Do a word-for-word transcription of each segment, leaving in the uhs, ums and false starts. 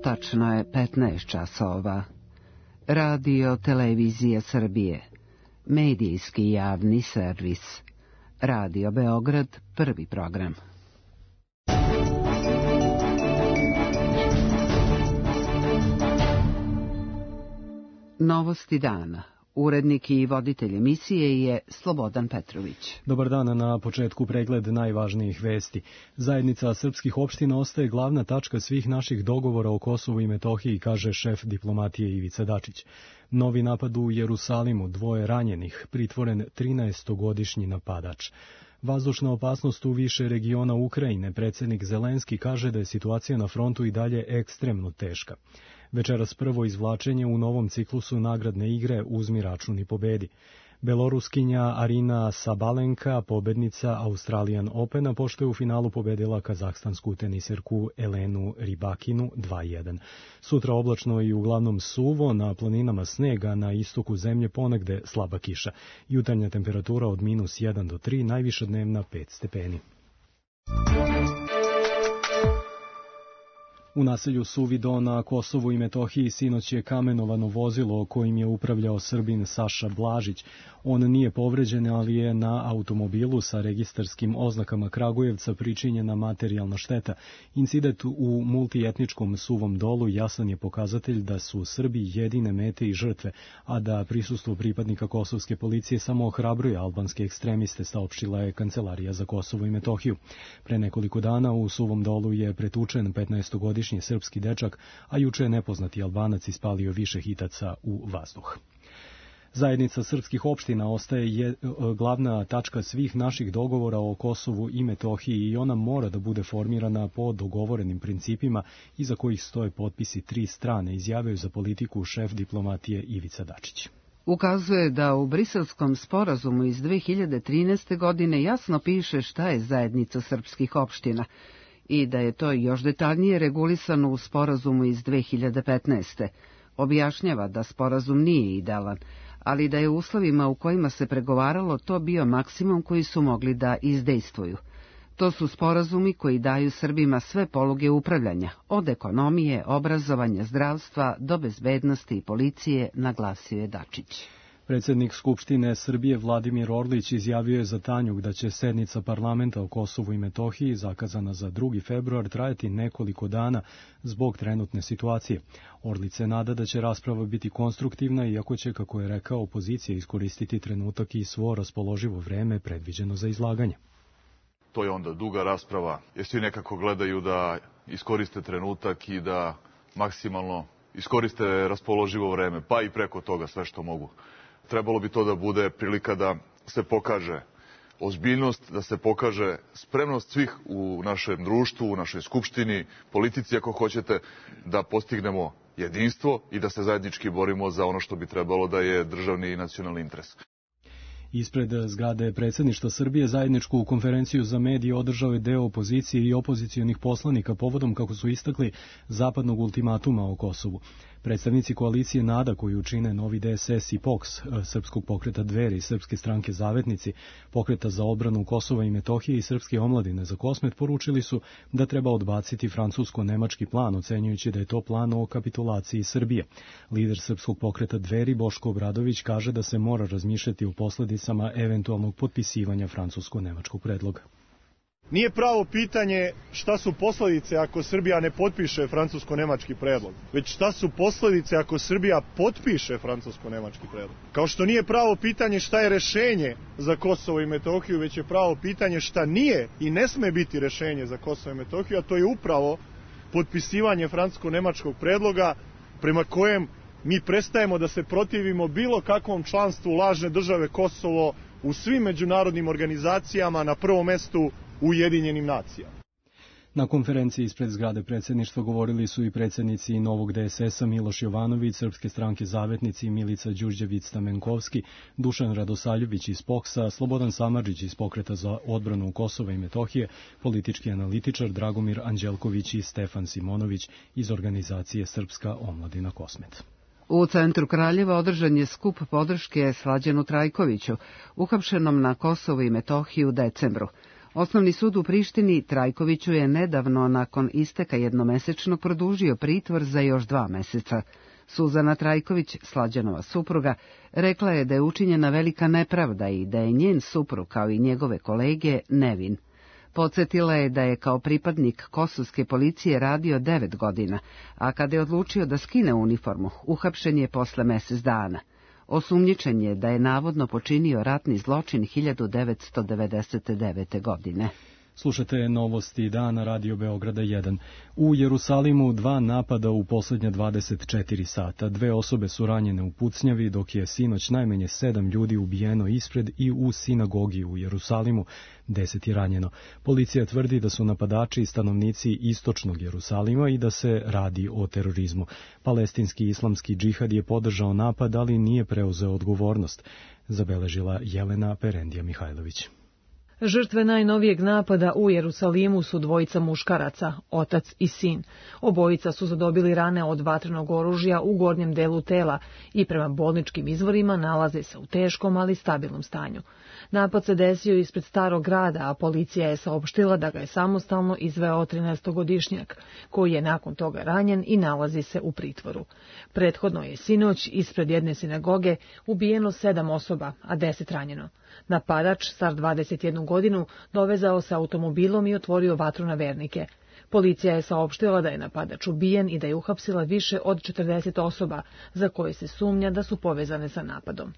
Tačno je petnaest časova. Radio Televizija Srbije. Medijski javni servis. Radio Beograd, prvi program. Novosti dana. Urednik i voditelj emisije je Slobodan Petrović. Dobar dan, na početku pregled najvažnijih vesti. Zajednica srpskih opština ostaje glavna tačka svih naših dogovora o Kosovu i Metohiji, kaže šef diplomatije Ivica Dačić. Novi napad u Jerusalimu, dvoje ranjenih, pritvoren trinaestogodišnji napadač. Vazdušna opasnost u više regiona Ukrajine, predsjednik Zelenski kaže da je situacija na frontu i dalje ekstremno teška. Večeras prvo izvlačenje u novom ciklusu nagradne igre Uzmi račun i pobedi. Beloruskinja Arina Sabalenka, pobednica Australian Opena, pošto je u finalu pobedila kazahstansku teniserku Elenu Rybakinu dva jedan. Sutra oblačno i uglavnom suvo, na planinama snega, na istoku zemlje ponegde slaba kiša. Jutarnja temperatura od minus jedan do tri, najviša dnevna pet stepeni. U naselju Suvido na Kosovu i Metohiji sinoć je kamenovano vozilo kojim je upravljao Srbin Saša Blažić. On nije povređen, ali je na automobilu sa registarskim oznakama Kragujevca pričinjena materijalna šteta. Incident u multietničkom Suvom Dolu jasan je pokazatelj da su Srbi jedine mete i žrtve, a da prisustvo pripadnika kosovske policije samo ohrabruje albanske ekstremiste, saopštila je Kancelarija za Kosovo i Metohiju. Pre nekoliko dana u Suvom Dolu je pretučen petnaestogodišnji srpski dečak, a juče je nepoznati Albanac ispalio više hitaca u vazduh. Zajednica srpskih opština ostaje je glavna tačka svih naših dogovora o Kosovu i Metohiji i ona mora da bude formirana po dogovorenim principima iza kojih stoje potpisi tri strane, izjavio za politiku šef diplomatije Ivica Dačić. Ukazuje da u Briselskom sporazumu iz dve hiljade trinaeste. godine jasno piše šta je zajednica srpskih opština i da je to još detaljnije regulisano u sporazumu iz dve hiljade petnaeste. Objašnjava da sporazum nije idealan, ali da je u uslovima u kojima se pregovaralo to bio maksimum koji su mogli da izdejstvuju. To su sporazumi koji daju Srbima sve poluge upravljanja, od ekonomije, obrazovanja, zdravstva do bezbednosti i policije, naglasio je Dačić. Predsjednik Skupštine Srbije Vladimir Orlić izjavio je za Tanjug da će sednica parlamenta o Kosovu i Metohiji, zakazana za drugi februar, trajati nekoliko dana zbog trenutne situacije. Orlić se nada da će rasprava biti konstruktivna, iako će, kako je rekao, opozicija iskoristiti trenutak i svo raspoloživo vreme predviđeno za izlaganje. To je onda duga rasprava, jer svi nekako gledaju da iskoriste trenutak i da maksimalno iskoriste raspoloživo vreme, pa i preko toga sve što mogu. Trebalo bi to da bude prilika da se pokaže ozbiljnost, da se pokaže spremnost svih u našem društvu, u našoj skupštini, politici ako hoćete, da postignemo jedinstvo i da se zajednički borimo za ono što bi trebalo da je državni i nacionalni interes. Ispred zgrade predsjedništva Srbije zajedničku konferenciju za medije održao je deo opozicije i opozicionih poslanika povodom, kako su istakli, zapadnog ultimatuma o Kosovu. Predstavnici koalicije NADA, koju čine Novi D S S i P O K S, Srpskog pokreta Dveri, Srpske stranke Zavetnici, Pokreta za odbranu Kosova i Metohije i Srpske omladine za Kosmet, poručili su da treba odbaciti francusko-nemački plan, ocenjujući da je to plan o kapitulaciji Srbije. Lider Srpskog pokreta Dveri, Boško Obradović, kaže da se mora razmišljati o posledicama eventualnog potpisivanja francusko-nemačkog predloga. Nije pravo pitanje šta su posledice ako Srbija ne potpiše francusko-nemački predlog, već šta su posledice ako Srbija potpiše francusko-nemački predlog. Kao što nije pravo pitanje šta je rešenje za Kosovo i Metohiju, već je pravo pitanje šta nije i ne sme biti rešenje za Kosovo i Metohiju, a to je upravo potpisivanje francusko-nemačkog predloga prema kojem mi prestajemo da se protivimo bilo kakvom članstvu lažne države Kosovo u svim međunarodnim organizacijama, na prvom mestu u Ujedinjenim nacijama. Na konferenciji ispred zgrade predsjedništva govorili su i predsjednici Novog D S S-a Miloš Jovanović, Srpske stranke Zavetnici Milica Đurđević-Stamenkovski, Dušan Radosaljević iz P O K S-a, Slobodan Samardžić iz Pokreta za odbranu Kosova i Metohije, politički analitičar Dragomir Anđelković i Stefan Simonović iz organizacije Srpska omladina Kosmet. U centru Kraljeva održan je skup podrške Slađanu Trajkoviću, uhapšenom na Kosovu i Metohiji u decembru. Osnovni sud u Prištini Trajkoviću je nedavno nakon isteka jednomesečnog produžio pritvor za još dva meseca. Suzana Trajković, Slađanova supruga, rekla je da je učinjena velika nepravda i da je njen suprug, kao i njegove kolege, nevin. Podsjetila je da je kao pripadnik kosovske policije radio devet godina, a kada je odlučio da skine uniformu, uhapšen je posle mesec dana. Osumnjičen je da je navodno počinio ratni zločin hiljadu devetsto devedeset devete. godine. Slušate novosti dana Radio Beograda jedan. U Jerusalimu dva napada u posljednja dvadeset četiri sata. Dve osobe su ranjene u pucnjavi, dok je sinoć najmanje sedam ljudi ubijeno ispred i u sinagogi u Jerusalimu, deset je ranjeno. Policija tvrdi da su napadači stanovnici istočnog Jerusalima i da se radi o terorizmu. Palestinski islamski džihad je podržao napad, ali nije preuzeo odgovornost, zabeležila Jelena Perendija Mihajlović. Žrtve najnovijeg napada u Jerusalimu su dvojica muškaraca, otac i sin. Obojica su zadobili rane od vatrenog oružja u gornjem delu tela i prema bolničkim izvorima nalaze se u teškom, ali stabilnom stanju. Napad se desio ispred starog grada, a policija je saopštila da ga je samostalno izveo trinaestogodišnjak, koji je nakon toga ranjen i nalazi se u pritvoru. Prethodno je sinoć ispred jedne sinagoge ubijeno sedam osoba, a deset ranjeno. Napadač, star dvadeset jednu godinu, dovezao se automobilom i otvorio vatru na vernike. Policija je saopštila da je napadač ubijen i da je uhapsila više od četrdeset osoba, za koje se sumnja da su povezane sa napadom.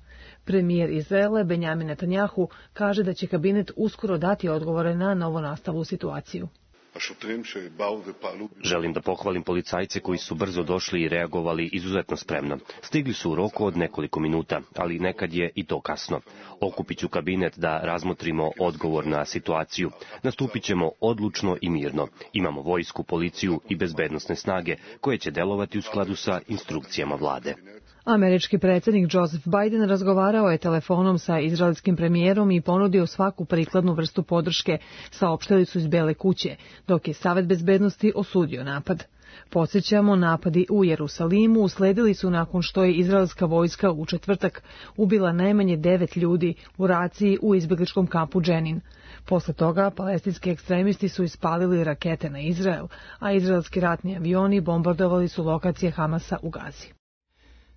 Premijer Izraela Benjamin Netanjahu kaže da će kabinet uskoro dati odgovore na novonastalu situaciju. Želim da pohvalim policajce koji su brzo došli i reagovali izuzetno spremno. Stigli su u roku od nekoliko minuta, ali nekad je i to kasno. Okupit ću kabinet da razmotrimo odgovor na situaciju. Nastupit ćemo odlučno i mirno. Imamo vojsku, policiju i bezbednosne snage koje će delovati u skladu sa instrukcijama vlade. Američki predsjednik Joseph Biden razgovarao je telefonom sa izraelskim premijerom i ponudio svaku prikladnu vrstu podrške, saopštili su iz Bele kuće, dok je Savet bezbednosti osudio napad. Podsjećamo, napadi u Jerusalimu usledili su nakon što je izraelska vojska u četvrtak ubila najmanje devet ljudi u raciji u izbjegličkom kampu Dženin. Posle toga palestinski ekstremisti su ispalili rakete na Izrael, a izraelski ratni avioni bombardovali su lokacije Hamasa u Gazi.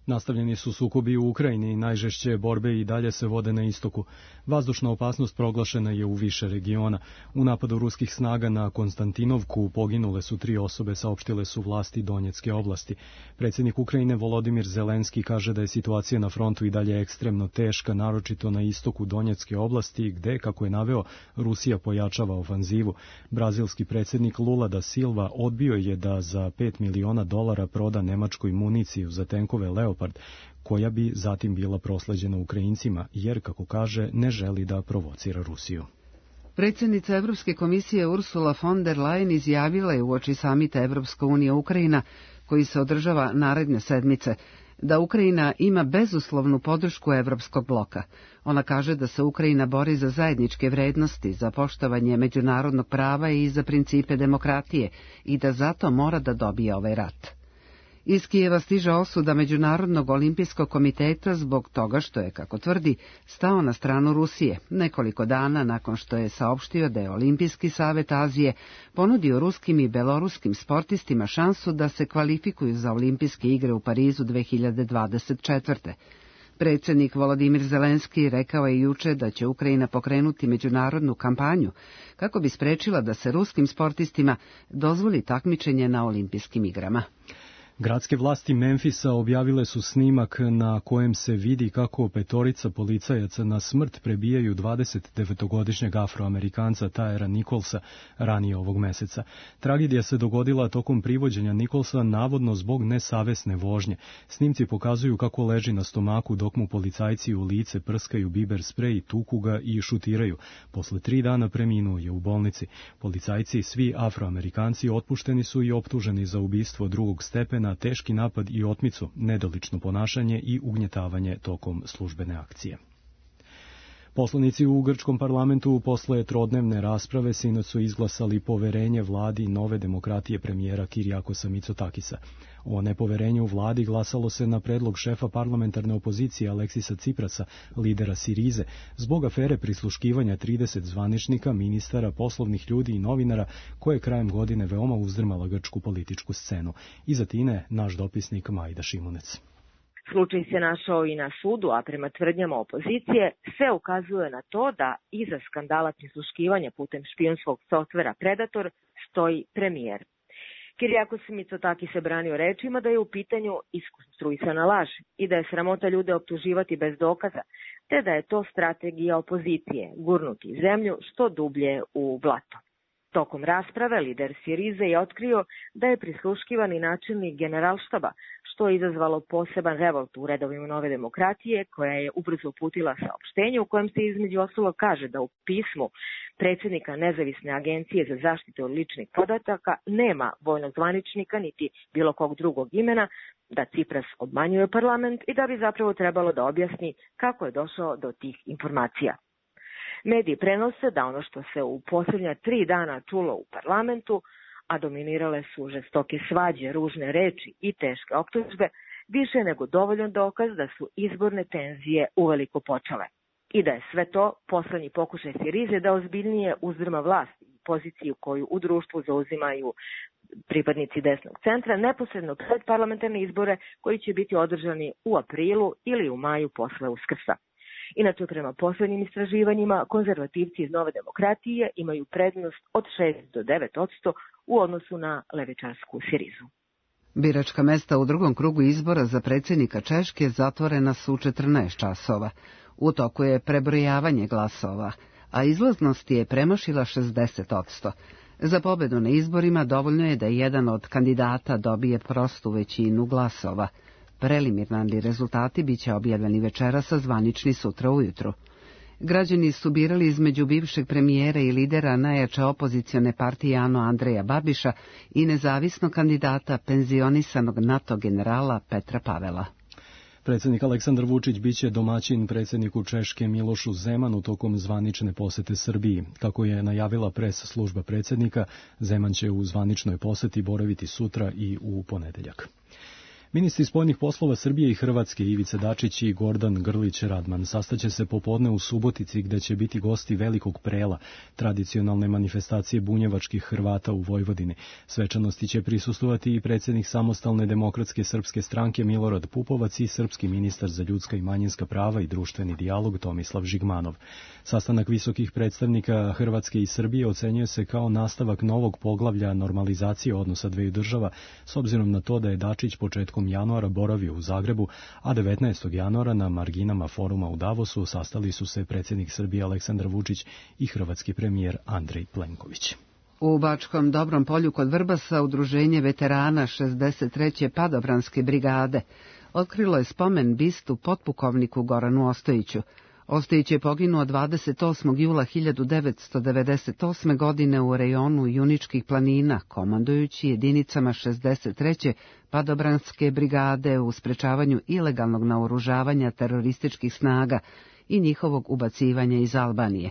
Nastavljeni su sukobi u Ukrajini i najžešće borbe i dalje se vode na istoku. Vazdušna opasnost proglašena je u više regiona. U napadu ruskih snaga na Konstantinovku poginule su tri osobe, saopštile su vlasti Donjecke oblasti. Predsjednik Ukrajine Volodimir Zelenski kaže da je situacija na frontu i dalje ekstremno teška, naročito na istoku Donjecke oblasti, gde, kako je naveo, Rusija pojačava ofanzivu. Brazilski predsjednik Lula da Silva odbio je da za pet miliona dolara proda Nemačkoj municiju za tenkove Leopard, koja bi zatim bila prosleđena Ukrajincima, jer, kako kaže, ne želi da provocira Rusiju. Predsjednica Evropske komisije Ursula von der Leyen izjavila je uoči samita Evropska unija Ukrajina, koji se održava naredne sedmice, da Ukrajina ima bezuslovnu podršku Evropskog bloka. Ona kaže da se Ukrajina bori za zajedničke vrednosti, za poštovanje međunarodnog prava i za principe demokratije i da zato mora da dobije ovaj rat. Iz Kijeva stiže osuda Međunarodnog olimpijskog komiteta zbog toga što je, kako tvrdi, stao na stranu Rusije, nekoliko dana nakon što je saopštio da je Olimpijski savet Azije ponudio ruskim i beloruskim sportistima šansu da se kvalifikuju za Olimpijske igre u Parizu dve hiljade dvadeset četvrte. Predsjednik Volodimir Zelenski rekao je juče da će Ukrajina pokrenuti međunarodnu kampanju kako bi sprečila da se ruskim sportistima dozvoli takmičenje na Olimpijskim igrama. Gradske vlasti Memfisa objavile su snimak na kojem se vidi kako petorica policajaca na smrt prebijaju dvadesetdevetogodišnjeg Afroamerikanca Tyra Nicholsa ranije ovog meseca. Tragedija se dogodila tokom privođenja Nicholsa navodno zbog nesavesne vožnje. Snimci pokazuju kako leži na stomaku dok mu policajci u lice prskaju biber sprej, tuku ga i šutiraju. Posle tri dana preminuo je u bolnici. Policajci, svi Afroamerikanci, otpušteni su i optuženi za ubistvo drugog stepena, teški napad i otmicu, nedolično ponašanje i ugnjetavanje tokom službene akcije. Poslanici u grčkom parlamentu posle trodnevne rasprave sinoć su izglasali poverenje vladi Nove demokratije premijera Kirijakosa Mitsotakisa. O nepoverenju vladi glasalo se na predlog šefa parlamentarne opozicije Aleksisa Ciprasa, lidera Sirize, zbog afere prisluškivanja trideset zvaničnika, ministara, poslovnih ljudi i novinara koje je krajem godine veoma uzdrmala grčku političku scenu. Iz Atine naš dopisnik Majda Šimunec. Slučaj se našao i na sudu, a prema tvrdnjama opozicije sve ukazuje na to da iza skandala prisluškivanja putem špijunskog softvera Predator stoji premijer. Kirijakos Mitsotakis se branio rečima da je u pitanju iskonstruisana laž i da je sramota ljude optuživati bez dokaza, te da je to strategija opozicije, gurnuti zemlju što dublje u blato. Tokom rasprave lider Sirize je otkrio da je prisluškivani načelnik generalštaba, što je izazvalo poseban revolt u redovima Nove demokratije, koja je ubrzo uputila saopštenje u kojem se između ostalog kaže da u pismu predsjednika Nezavisne agencije za zaštitu ličnih podataka nema vojnog zvaničnika niti bilo kog drugog imena, da Cipras obmanjuje parlament i da bi zapravo trebalo da objasni kako je došao do tih informacija. Mediji prenose da ono što se u posljednja tri dana čulo u parlamentu, a dominirale su žestoke svađe, ružne reči i teške optužbe, više nego dovoljan dokaz da su izborne tenzije uveliko počele. I da je sve to poslednji pokušaj Sirize da ozbiljnije uzdrma vlast i poziciju koju u društvu zauzimaju pripadnici desnog centra neposredno pred parlamentarne izbore koji će biti održani u aprilu ili u maju posle Uskrsa. Inače, prema poslednjim istraživanjima, konzervativci iz Nove demokratije imaju prednost od šest do devet posto u odnosu na levičarsku Sirizu. Biračka mesta u drugom krugu izbora za predsjednika Češke zatvorena su u četrnaest časova. U toku je prebrojavanje glasova, a izlaznost je premašila šezdeset posto. Za pobedu na izborima dovoljno je da jedan od kandidata dobije prostu većinu glasova. Preliminarni rezultati biće objavljeni večeras, a zvanični sutra ujutru. Građani su birali između bivšeg premijera i lidera najjače opozicione partije ANO Andreja Babiša i nezavisnog kandidata penzionisanog NATO generala Petra Pavela. Predsjednik Aleksandar Vučić biće domaćin predsjedniku Češke Milošu Zemanu tokom zvanične posete Srbiji. Kako je najavila pres služba predsjednika, Zeman će u zvaničnoj poseti boraviti sutra i u ponedeljak. Ministri spoljnih poslova Srbije i Hrvatske Ivica Dačić i Gordan Grlić Radman sastaće se popodne u Subotici gde će biti gosti Velikog prela, tradicionalne manifestacije bunjevačkih Hrvata u Vojvodini. Svečanosti će prisustvovati i predsjednik Samostalne demokratske srpske stranke Milorad Pupovac i srpski ministar za ljudska i manjinska prava i društveni dijalog Tomislav Žigmanov. Sastanak visokih predstavnika Hrvatske i Srbije ocenjuje se kao nastavak novog poglavlja normalizacije odnosa dveju država, s obzirom na to da je Dačić početkom januara boravio u Zagrebu, a devetnaestog januara na marginama foruma u Davosu sastali su se predsjednik Srbije Aleksandar Vučić i hrvatski premijer Andrej Plenković. U Bačkom Dobrom Polju kod Vrbasa udruženje veterana šezdeset treće padobranske brigade otkrilo je spomen bistu potpukovniku Goranu Ostojiću. Ostojić je poginuo dvadeset osmog jula hiljadu devetsto devedeset osme. godine u rejonu Juničkih planina, komandujući jedinicama šezdeset treće padobranske brigade u sprečavanju ilegalnog naoružavanja terorističkih snaga i njihovog ubacivanja iz Albanije.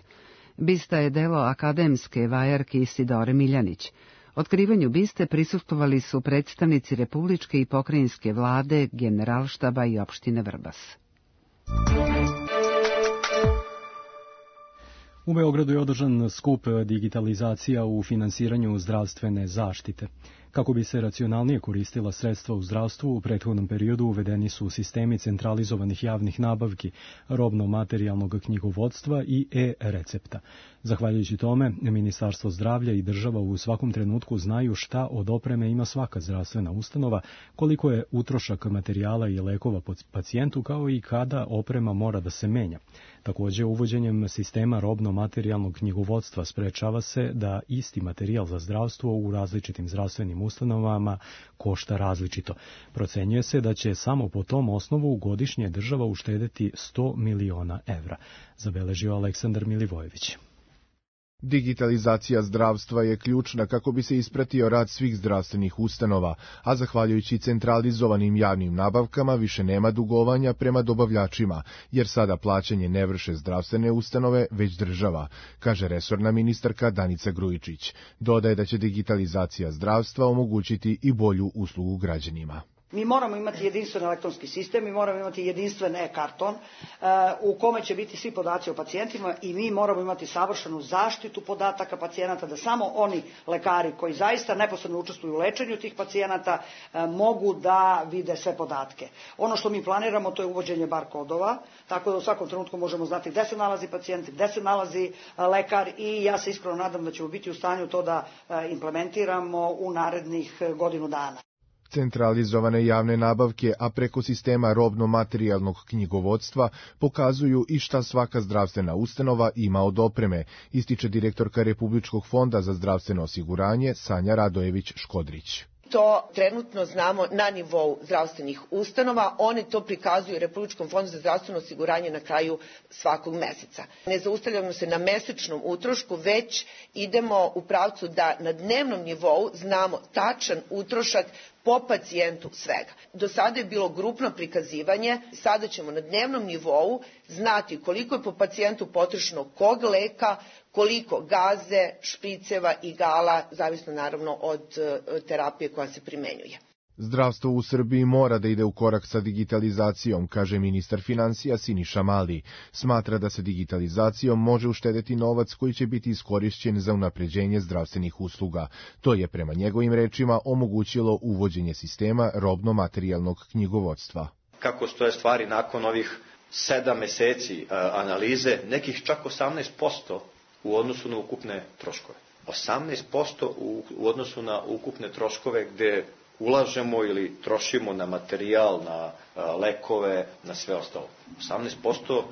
Bista je delo akademske vajarke Isidore Miljanić. Otkrivanju biste prisustvovali su predstavnici republičke i pokrajinske vlade, generalštaba i opštine Vrbas. U Beogradu je održan skup digitalizacija u finansiranju zdravstvene zaštite. Kako bi se racionalnije koristila sredstva u zdravstvu, u prethodnom periodu uvedeni su sistemi centralizovanih javnih nabavki, robno-materijalnog knjigovodstva i e-recepta. Zahvaljujući tome, Ministarstvo zdravlja i država u svakom trenutku znaju šta od opreme ima svaka zdravstvena ustanova, koliko je utrošak materijala i lekova pacijentu, kao i kada oprema mora da se menja. Također, uvođenjem sistema robno-materijalnog knjigovodstva sprečava se da isti materijal za zdravstvo u različitim zdravstvenim ustanovama košta različito. Procenjuje se da će samo po tom osnovu godišnje država uštedeti sto miliona evra, zabeležio Aleksandar Milivojević. Digitalizacija zdravstva je ključna kako bi se ispratio rad svih zdravstvenih ustanova, a zahvaljujući centralizovanim javnim nabavkama više nema dugovanja prema dobavljačima, jer sada plaćanje ne vrše zdravstvene ustanove, već država, kaže resorna ministarka Danica Grujičić. Dodaje da će digitalizacija zdravstva omogućiti i bolju uslugu građanima. Mi moramo imati jedinstven elektronski sistem, mi moramo imati jedinstven e-karton u kome će biti svi podaci o pacijentima i mi moramo imati savršenu zaštitu podataka pacijenata, da samo oni lekari koji zaista neposredno učestvuju u lečenju tih pacijenata mogu da vide sve podatke. Ono što mi planiramo to je uvođenje bar kodova, tako da u svakom trenutku možemo znati gde se nalazi pacijent, gde se nalazi lekar i ja se iskreno nadam da ćemo biti u stanju to da implementiramo u narednih godinu dana. Centralizovane javne nabavke, a preko sistema robno-materijalnog knjigovodstva pokazuju i šta svaka zdravstvena ustanova ima od opreme, ističe direktorka Republičkog fonda za zdravstveno osiguranje Sanja Radojević-Škodrić. To trenutno znamo na nivou zdravstvenih ustanova, oni to prikazuju Republičkom fondu za zdravstveno osiguranje na kraju svakog meseca. Ne zaustavljamo se na mesečnom utrošku, već idemo u pravcu da na dnevnom nivou znamo tačan utrošak po pacijentu svega. Do sada je bilo grupno prikazivanje, sada ćemo na dnevnom nivou znati koliko je po pacijentu potrošeno kog leka, koliko gaze, špriceva, igala, zavisno naravno od terapije koja se primenjuje. Zdravstvo u Srbiji mora da ide u korak sa digitalizacijom, kaže ministar finansija Siniša Mali. Smatra da se digitalizacijom može uštedeti novac koji će biti iskorišćen za unapređenje zdravstvenih usluga. To je prema njegovim rečima omogućilo uvođenje sistema robno-materijalnog knjigovodstva. Kako stoje stvari nakon ovih sedam meseci analize, nekih čak osamnaest posto u odnosu na ukupne troškove. osamnaest posto u odnosu na ukupne troškove gde ulažemo ili trošimo na materijal, na lekove, na sve ostalo. osamnaest posto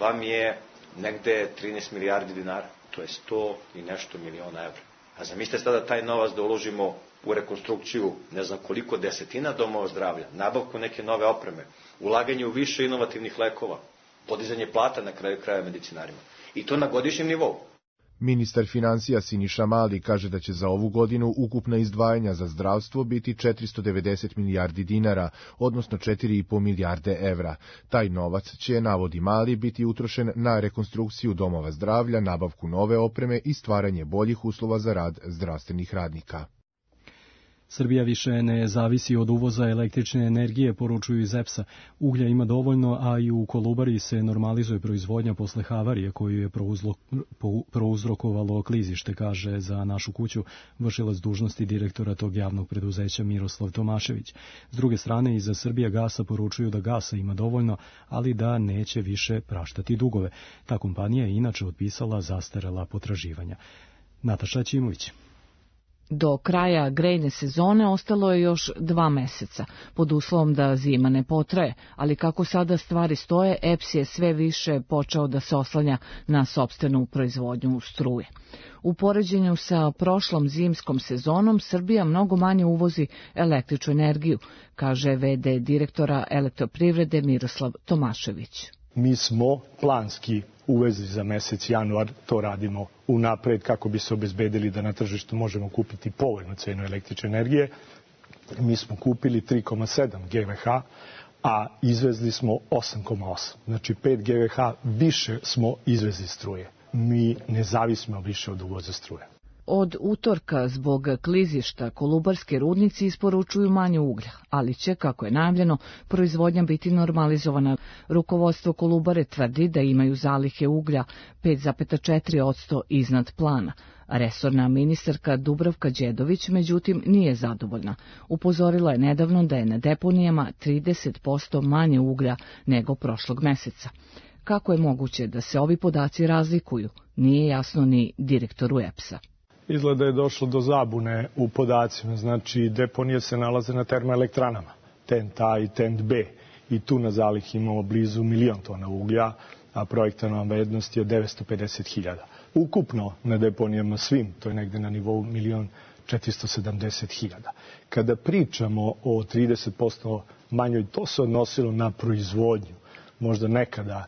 vam je negde trinaest milijardi dinara, to je sto i nešto miliona evra. A zamislite sada taj novac da uložimo u rekonstrukciju ne znam koliko desetina domova zdravlja, nabavku neke nove opreme, ulaganje u više inovativnih lekova, podizanje plata na kraju kraja medicinarima. I to na godišnjem nivou. Ministar finansija Siniša Mali kaže da će za ovu godinu ukupna izdvajanja za zdravstvo biti četiristo devedeset milijardi dinara, odnosno četiri i po milijarde evra. Taj novac će, navodi Mali, biti utrošen na rekonstrukciju domova zdravlja, nabavku nove opreme i stvaranje boljih uslova za rad zdravstvenih radnika. Srbija više ne zavisi od uvoza električne energije, poručuju iz E P S-a. Uglja ima dovoljno, a i u Kolubari se normalizuje proizvodnja posle havarije koju je prouzrokovalo klizište, kaže za Našu kuću vršilac dužnosti direktora tog javnog preduzeća Miroslav Tomašević. S druge strane, iza Srbija gasa poručuju da gasa ima dovoljno, ali da neće više praštati dugove. Ta kompanija je inače otpisala zastarela potraživanja. Nataša Ćimović. Do kraja grejne sezone ostalo je još dva meseca, pod uslovom da zima ne potraje, ali kako sada stvari stoje, E P S je sve više počeo da se oslanja na sopstvenu proizvodnju struje. U poređenju sa prošlom zimskom sezonom, Srbija mnogo manje uvozi električnu energiju, kaže ve de direktora Elektroprivrede Miroslav Tomašević. Mi smo planski uvezli za mesec januar, to radimo unapred kako bi se obezbedili da na tržištu možemo kupiti povoljnu cenu električne energije. Mi smo kupili tri zarez sedam gigavata, a izvezli smo osam zarez osam. Znači pet gigavata više smo izvezli struje. Mi ne zavisimo više od uvoza struje. Od utorka zbog klizišta kolubarski rudnici isporučuju manje uglja, ali će, kako je najavljeno, proizvodnja biti normalizovana. Rukovodstvo Kolubare tvrdi da imaju zalihe uglja pet zarez četiri posto iznad plana. Resorna ministarka Dubravka Đedović, međutim, nije zadovoljna. Upozorila je nedavno da je na deponijama trideset posto manje uglja nego prošlog meseca. Kako je moguće da se ovi podaci razlikuju, nije jasno ni direktoru E P S-a. Izgleda je došlo do zabune u podacima, znači deponije se nalaze na termoelektranama, Tent A i Tent B, i tu na zalih imamo blizu milion tona uglja, a projektovana vrednost je od devetsto pedeset hiljada. Ukupno na deponijama svim, to je negde na nivou milion četiristo sedamdeset hiljada. Kada pričamo o trideset posto manjoj, to se odnosilo na proizvodnju. Možda nekada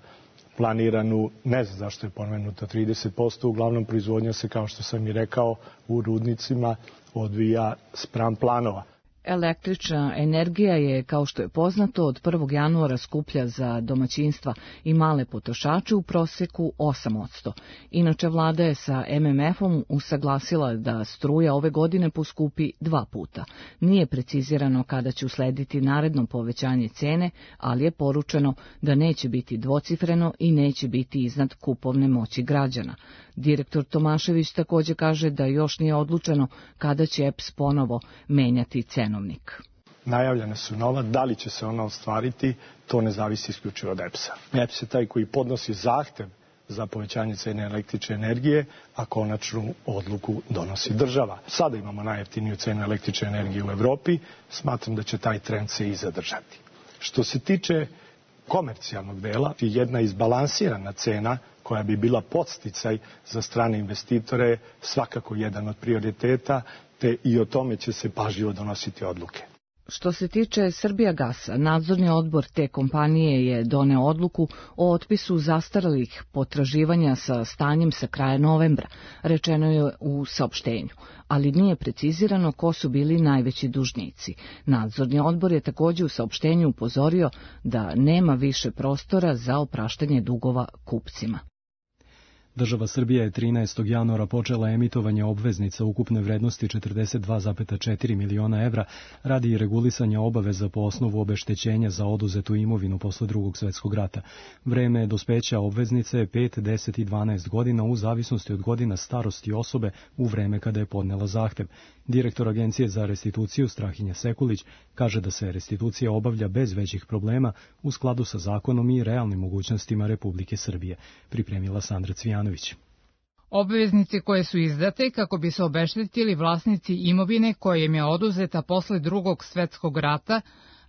planiranu, ne znam zašto je pomenuto trideset posto, uglavnom proizvodnja se, kao što sam i rekao, u rudnicima odvija spram planova. Električna energija je, kao što je poznato, od prvog januara skuplja za domaćinstva i male potrošače u proseku osam posto. Inače, vlada je sa M M F-om usaglasila da struja ove godine poskupi dva puta. Nije precizirano kada će uslediti naredno povećanje cene, ali je poručeno da neće biti dvocifreno i neće biti iznad kupovne moći građana. Direktor Tomašević također kaže da još nije odlučeno kada će E P S ponovo menjati cenovnik. Najavljene su nova, da li će se ona ostvariti, to ne zavisi isključivo od E P S-a. E P S je taj koji podnosi zahtev za povećanje cene električne energije, a konačnu odluku donosi država. Sada imamo najjeftiniju cenu električne energije u Evropi, smatram da će taj trend se i zadržati. Što se tiče komercijalnog dela, jedna izbalansirana cena koja bi bila podsticaj za strane investitore, svakako jedan od prioriteta, te i o tome će se pažljivo donositi odluke. Što se tiče Srbijagasa, nadzorni odbor te kompanije je doneo odluku o otpisu zastarelih potraživanja sa stanjem sa kraja novembra, rečeno je u saopštenju, ali nije precizirano ko su bili najveći dužnici. Nadzorni odbor je također u saopštenju upozorio da nema više prostora za opraštanje dugova kupcima. Država Srbija je trinaestog januara počela emitovanje obveznica ukupne vrednosti četrdeset dva zarez četiri miliona evra radi regulisanja obaveza po osnovu obeštećenja za oduzetu imovinu posle Drugog svjetskog rata. Vreme dospeća obveznice je pet, deset i dvanaest godina u zavisnosti od godina starosti osobe u vreme kada je podnela zahtev. Direktor Agencije za restituciju Strahinja Sekulić kaže da se restitucija obavlja bez većih problema u skladu sa zakonom i realnim mogućnostima Republike Srbije, pripremila Sandra Cvijanović. Obveznice koje su izdate kako bi se obeštetili vlasnici imovine koja im je oduzeta posle Drugog svjetskog rata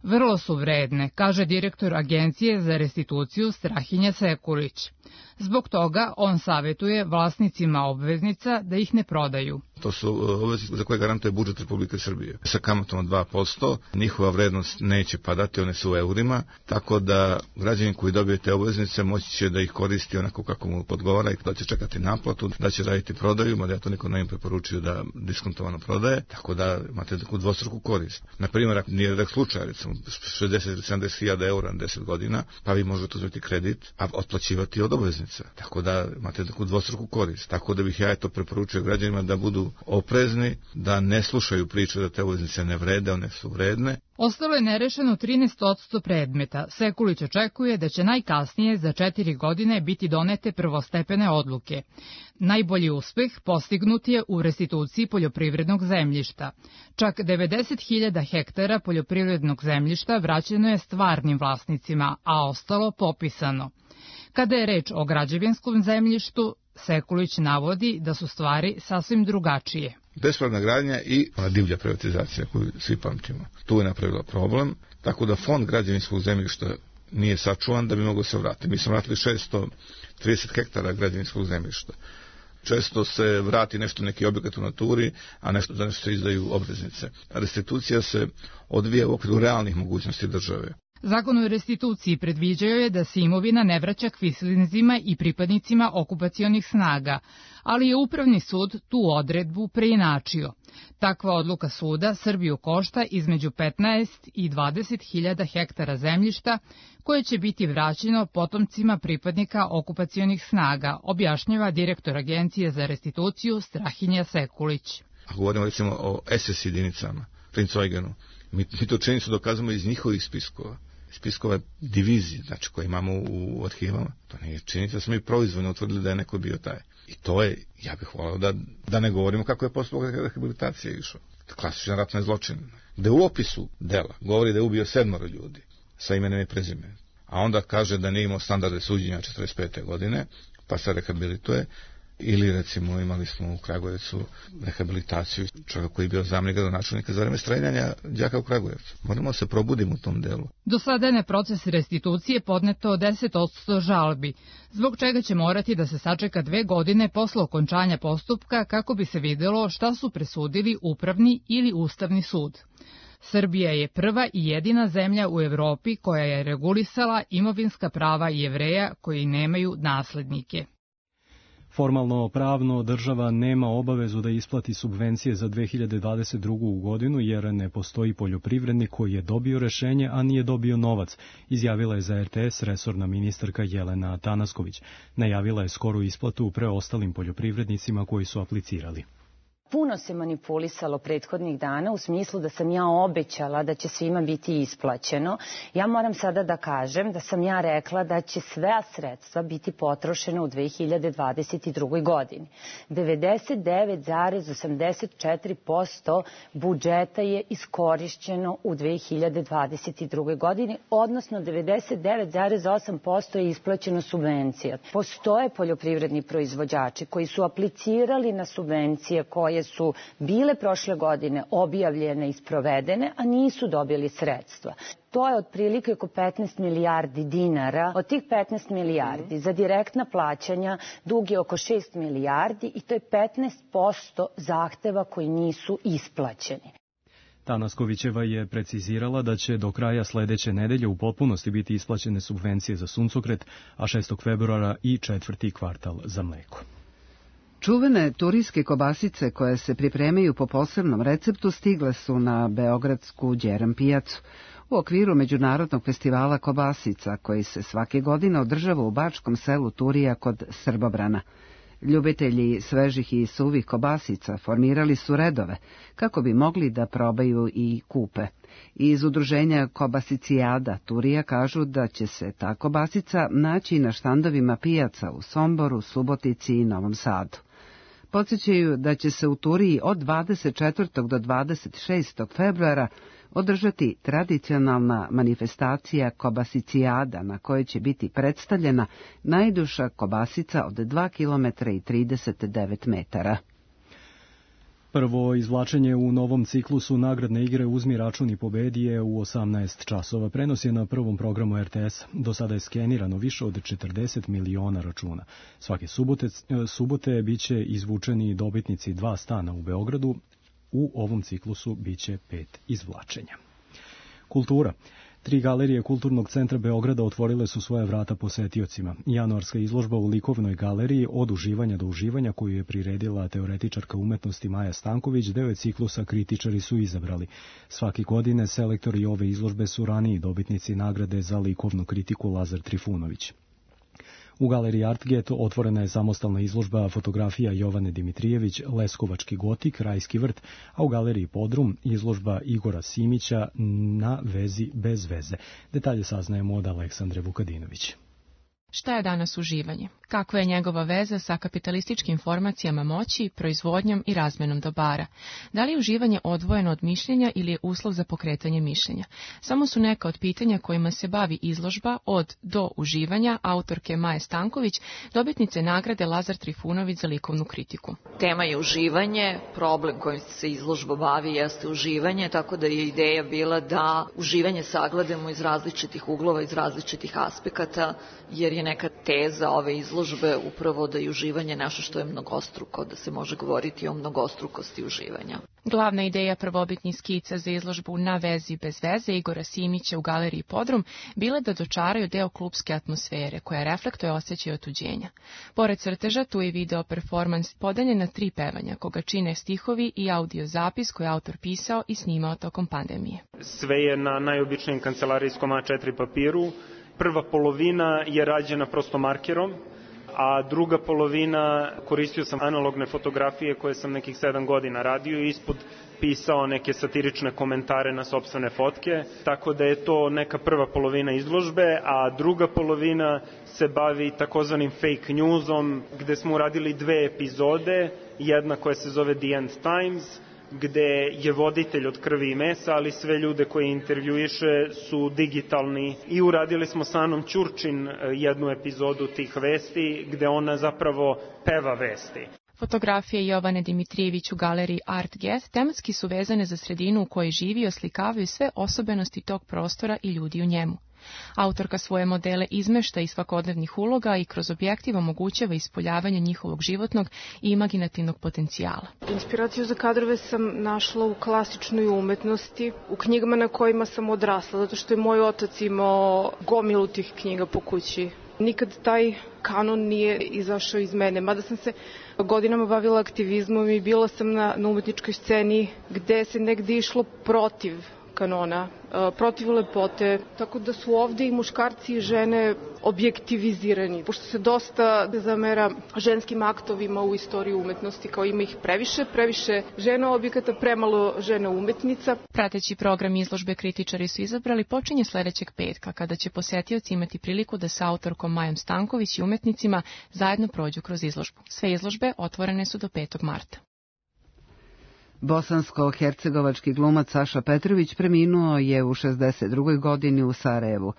vrlo su vredne, kaže direktor Agencije za restituciju Strahinja Sekulić. Zbog toga on savjetuje vlasnicima obveznica da ih ne prodaju. To su obveznice za koje garantuje budžet Republike Srbije. Sa kamatom od dva posto njihova vrednost neće padati, one su u eurima, tako da građanin koji dobije te obveznice moći će da ih koristi onako kako mu podgovara i da će čekati naplatu, da će raditi prodaju, mada ja to niko ne im preporučio da diskontovano prodaje, tako da imate takvu dvostruku korist. Na primjer, ako nije redak slučaj, recimo šezdeset ili sedamdeset hiljada eura na deset godina, pa vi možete uzeti kredit, a otplaćivati od obveznica. Tako da imate takvu dvostruku korist. Tako da bih ja eto preporučio građanima da budu oprezni, da ne slušaju priče da te obveznice ne vrede, one su vredne. Ostalo je nerešeno trinaest posto predmeta. Sekulić očekuje da će najkasnije za četiri godine biti donete prvostepene odluke. Najbolji uspeh postignut je u restituciji poljoprivrednog zemljišta. Čak devedeset hiljada hektara poljoprivrednog zemljišta vraćeno je stvarnim vlasnicima, a ostalo popisano. Kada je reč o građevinskom zemljištu, Sekulić navodi da su stvari sasvim drugačije. Bespravna gradnja i divlja privatizacija koju svi pamtimo. Tu je napravila problem, tako da fond građevinskog zemljišta nije sačuvan da bi moglo se vratiti. Mi smo vratili šesto trideset hektara građevinskog zemljišta. Često se vrati nešto neki objekat u naturi, a nešto za nešto se izdaju obveznice. Restitucija se odvija u okviru realnih mogućnosti države. Zakon o restituciji predviđao je da se imovina ne vraća kvislinzima i pripadnicima okupacionih snaga, ali je Upravni sud tu odredbu preinačio. Takva odluka suda Srbiju košta između petnaest i dvadeset hiljada hektara zemljišta koje će biti vraćeno potomcima pripadnika okupacionih snaga, objašnjava direktor Agencije za restituciju Strahinja Sekulić. Ako govorimo recimo o S S jedinicama, Princ Eugenu, mi, mi to činjenicu dokazamo iz njihovih spiskova. Spiskova divizije, znači koje imamo u, u arhivama. To nije činjenica, smo mi proizvoljno utvrdili da je neko bio taj. I to je, ja bih volao da, da ne govorimo kako je postupak rehabilitacije išao. Klasičan ratni zločin. Gde u opisu dela govori da je ubio sedmoro ljudi sa imenom i prezimenom, a onda kaže da nije imao standarde suđenja četrdeset pete godine, pa se rehabilituje. Ili recimo imali smo u Kragujevcu rehabilitaciju čovjeka koji je bio zamenik gradonačelnika za vreme streljanja đaka u Kragujevcu. Moramo se probuditi u tom delu. Do sada je na proces restitucije podneto deset posto žalbi, zbog čega će morati da se sačeka dve godine posle okončanja postupka kako bi se videlo šta su presudili Upravni ili Ustavni sud. Srbija je prva i jedina zemlja u Evropi koja je regulisala imovinska prava Jevreja koji nemaju naslednike. Formalno pravno država nema obavezu da isplati subvencije za dve hiljade dvadeset drugu. godinu jer ne postoji poljoprivrednik koji je dobio rešenje, a nije dobio novac, izjavila je za er te es resorna ministarka Jelena Tanasković. Najavila je skoru isplatu preostalim poljoprivrednicima koji su aplicirali. Puno se manipulisalo prethodnih dana u smislu da sam ja obećala da će svima biti isplaćeno. Ja moram sada da kažem da sam ja rekla da će sve sredstva biti potrošena u dve hiljade dvadeset drugoj. godini. devedeset devet zarez osamdeset četiri posto budžeta je iskorišćeno u dve hiljade dvadeset drugoj. godini, odnosno devedeset devet zarez osam posto je isplaćeno subvencija. Postoje poljoprivredni proizvođači koji su aplicirali na subvencije koje su bile prošle godine objavljene i sprovedene, a nisu dobili sredstva. To je otprilike oko petnaest milijardi dinara. Od tih petnaest milijardi za direktna plaćanja dug je oko šest milijardi i to je petnaest posto zahteva koji nisu isplaćeni. Tanaskovićeva je precizirala da će do kraja sledeće nedelje u potpunosti biti isplaćene subvencije za suncokret, a šestog februara i četvrti kvartal za mleko. Čuvene turijske kobasice koje se pripremaju po posebnom receptu stigle su na beogradsku Đerem pijacu u okviru Međunarodnog festivala kobasica koji se svake godine održava u bačkom selu Turija kod Srbobrana. Ljubitelji svežih i suvih kobasica formirali su redove kako bi mogli da probaju i kupe. Iz udruženja Kobasicijada Turija kažu da će se ta kobasica naći na štandovima pijaca u Somboru, Subotici i Novom Sadu. Podsjećaju da će se u Turiji od dvadeset četvrtog do dvadeset šestog februara održati tradicionalna manifestacija Kobasicijada na kojoj će biti predstavljena najduža kobasica od dva kilometra i trideset devet metara. Prvo izvlačenje u novom ciklusu nagradne igre Uzmi račun i pobedi je u osamnaest časova. Prenos je na prvom programu er te es. Do sada je skenirano više od četrdeset miliona računa. Svake subote, subote biće izvučeni dobitnici dva stana u Beogradu. U ovom ciklusu biće pet izvlačenja. Kultura. Tri galerije Kulturnog centra Beograda otvorile su svoje vrata posetiocima. Januarska izložba u likovnoj galeriji Od uživanja do uživanja, koju je priredila teoretičarka umetnosti Maja Stanković, deo je ciklusa kritičari su izabrali. Svake godine selektori ove izložbe su raniji dobitnici nagrade za likovnu kritiku Lazar Trifunović. U galeriji Artget otvorena je samostalna izložba fotografija Jovane Dimitrijević, Leskovački gotik, Rajski vrt, a u galeriji Podrum izložba Igora Simića Na vezi bez veze. Detalje saznajemo od Aleksandre Vukadinović. Šta je danas uživanje? Kakva je njegova veza sa kapitalističkim formacijama moći, proizvodnjom i razmenom dobara? Da li je uživanje odvojeno od mišljenja ili je uslov za pokretanje mišljenja? Samo su neka od pitanja kojima se bavi izložba Od do uživanja autorke Maje Stanković, dobitnice nagrade Lazar Trifunović za likovnu kritiku. Tema je uživanje, problem kojim se izložba bavi jeste uživanje, tako da je ideja bila da uživanje sagledamo iz različitih uglova, iz različitih aspekata, jer je neka teza ove izložbe upravo da je uživanje nešto što je mnogostruko, da se može govoriti o mnogostrukosti uživanja. Glavna ideja prvobitnih skica za izložbu Na vezi bez veze Igora Simića u galeriji Podrum bila da dočaraju deo klupske atmosfere koja reflektuje osjećaj otuđenja. Pored crteža tu je video performans podeljen na tri pevanja koga čine stihovi i audio zapis koji je autor pisao i snimao tokom pandemije. Sve je na najobičnijem kancelarijskom A četiri papiru. Prva polovina je rađena prosto markerom, a druga polovina koristio sam analogne fotografije koje sam nekih sedam godina radio i ispod pisao neke satirične komentare na sopstvene fotke, tako da je to neka prva polovina izložbe, a druga polovina se bavi takozvanim fake newsom, gde smo uradili dve epizode, jedna koja se zove The End Times, gde je voditelj od krvi i mesa, ali sve ljude koje intervjuiše su digitalni. I uradili smo sa Anom Ćurčin jednu epizodu tih vesti, gde ona zapravo peva vesti. Fotografije Jovane Dimitrijević u galeriji Artget tematski su vezane za sredinu u kojoj živi i oslikavaju sve osobenosti tog prostora i ljudi u njemu. Autorka svoje modele izmešta iz svakodnevnih uloga i kroz objektiv omogućava ispoljavanje njihovog životnog i imaginativnog potencijala. Inspiraciju za kadrove sam našla u klasičnoj umetnosti, u knjigama na kojima sam odrasla, zato što je moj otac imao gomilu tih knjiga po kući. Nikad taj kanon nije izašao iz mene, mada sam se godinama bavila aktivizmom i bila sam na, na umetničkoj sceni gde se negde išlo protiv kanona, protiv lepote, tako da su ovde i muškarci i žene objektivizirani. Pošto se dosta zamera ženskim aktovima u istoriji umetnosti, kao ima ih previše, previše žena objekata, premalo žena umetnica. Prateći program izložbe kritičari su izabrali počinje sledećeg petka, kada će posetioci imati priliku da sa autorkom Majom Stanković i umetnicima zajedno prođu kroz izložbu. Sve izložbe otvorene su do petog marta. Bosansko-hercegovački glumac Saša Petrović preminuo je u šezdeset drugoj godini u Sarajevu.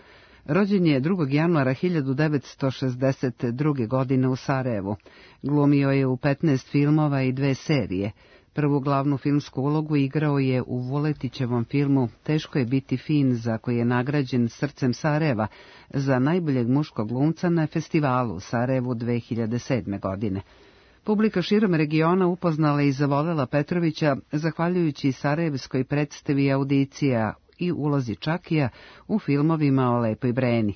Rođen je drugog januara hiljadu devetsto šezdeset druge. godine u Sarajevu. Glumio je u petnaest filmova i dve serije. Prvu glavnu filmsku ulogu igrao je u Vuletićevom filmu Teško je biti fin, za koji je nagrađen Srcem Sarajeva za najboljeg muškog glumca na festivalu u Sarajevu dve hiljade sedme. godine. Publika širom regiona upoznala i zavolela Petrovića zahvaljujući sarajevskoj predstavi Audicija i ulozi Čakija u filmovima o Lepoj Breni.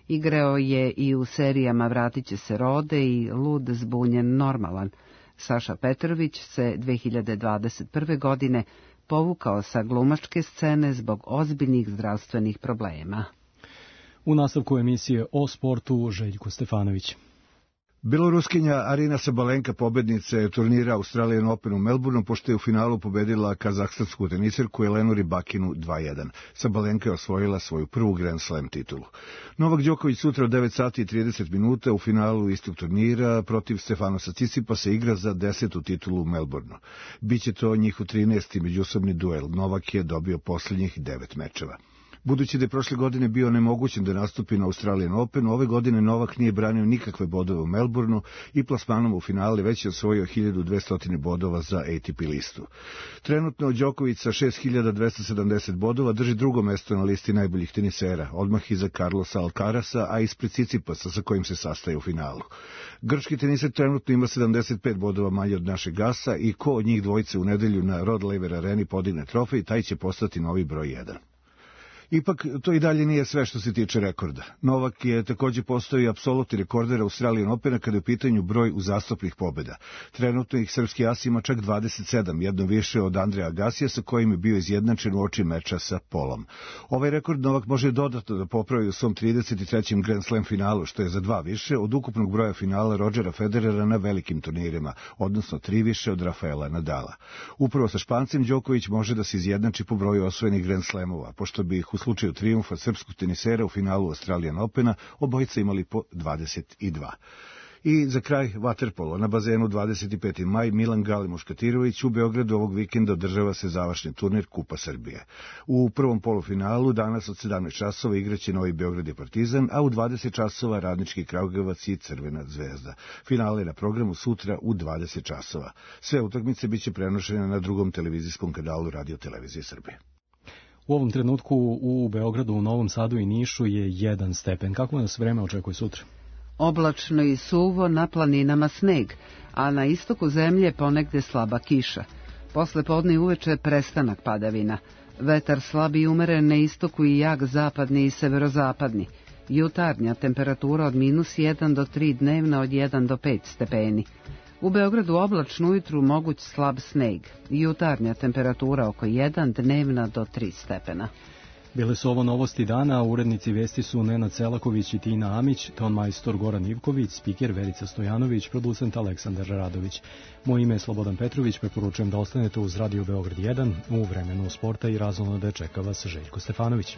Igrao je i u serijama Vratit će se Rode i Lud, zbunjen, normalan. Saša Petrović se dve hiljade dvadeset prve. godine povukao sa glumačke scene zbog ozbiljnih zdravstvenih problema. U nastavku emisije o sportu Željko Stefanović. Beloruskinja Arina Sabalenka pobednica je turnira Australian Open u Melbourneu, pošto je u finalu pobedila kazahstansku teniserku Elenu Rybakinu dva jedan. Sabalenka je osvojila svoju prvu Grand Slam titulu. Novak Đoković sutra od devet sati i trideset minuta u finalu istog turnira protiv Stefanosa Cicipasa igra za desetu titulu u Melbourneu. Biće to njihov trinaesti međusobni duel. Novak je dobio posljednjih devet mečeva. Budući da je prošle godine bio nemogućen da nastupi na Australian Openu, ove godine Novak nije branio nikakve bodove u Melbourneu i plasmanom u finale već je osvojio hiljadu dvesta bodova za A T P listu. Trenutno Đoković sa šest hiljada dvesta sedamdeset bodova drži drugo mesto na listi najboljih tenisera, odmah iza Carlosa Alcarasa, a ispred Cicipasa sa kojim se sastaje u finalu. Grčki teniser trenutno ima sedamdeset pet bodova manje od našeg Gasa i ko od njih dvojice u nedelju na Rod Laver Areni podigne trofej, taj će postati novi broj jedan. Ipak, to i dalje nije sve što se tiče rekorda. Novak je također postao i apsolutni rekorder Australian Opena kada je u pitanju broj uzastopnih pobjeda. Trenutno ih srpski as ima čak dvadeset sedam, jedno više od Andreja Agasija sa kojim je bio izjednačen u oči meča sa Polom. Ovaj rekord Novak može dodatno da popravi u svom trideset trećem Grand Slam finalu, što je za dva više od ukupnog broja finala Rodgera Federera na velikim turnirima, odnosno tri više od Rafaela Nadala. Upravo sa Špancem Đoković može da se izjednači po broju osvojenih Grand Slamova, pošto bi ih u slučaju trijumfa srpskog tenisera u finalu Australian Opena obojica imali po dvadeset dva. I za kraj vaterpolo. Na bazenu dvadeset peti maj Milan Gali Muškatirović u Beogradu ovog vikenda održava se završni turnir Kupa Srbije. U prvom polufinalu danas od sedamnaest časova igraće Novi Beograd i Partizan, a u dvadeset časova Radnički Kragujevac i Crvena zvezda. Finale je na programu sutra u dvadeset časova. Sve utakmice biće prenošene na drugom televizijskom kanalu Radio Televizije Srbije. U ovom trenutku u Beogradu, u Novom Sadu i Nišu je jedan stepen. Kako nas vreme očekuje sutra? Oblačno i suvo, na planinama sneg, a na istoku zemlje ponegde slaba kiša. Posle podne i uveče prestanak padavina. Vetar slab i umeren na istoku i jak zapadni i severozapadni. Jutarnja temperatura od minus jedan do tri, dnevna od jedan do pet stepeni. U Beogradu oblačno ujutru moguć slab sneg. Jutarnja temperatura oko jedan, dnevna do tri stepena. Bile su ovo novosti dana, urednici vesti su Nenad Selaković i Tina Amić, ton majstor Goran Ivković, spiker Verica Stojanović, producent Aleksandar Radović. Moje ime je Slobodan Petrović, preporučujem da ostanete uz Radio Beograd jedan, u vremenu sporta i razumno da čeka vas Željko Stefanović.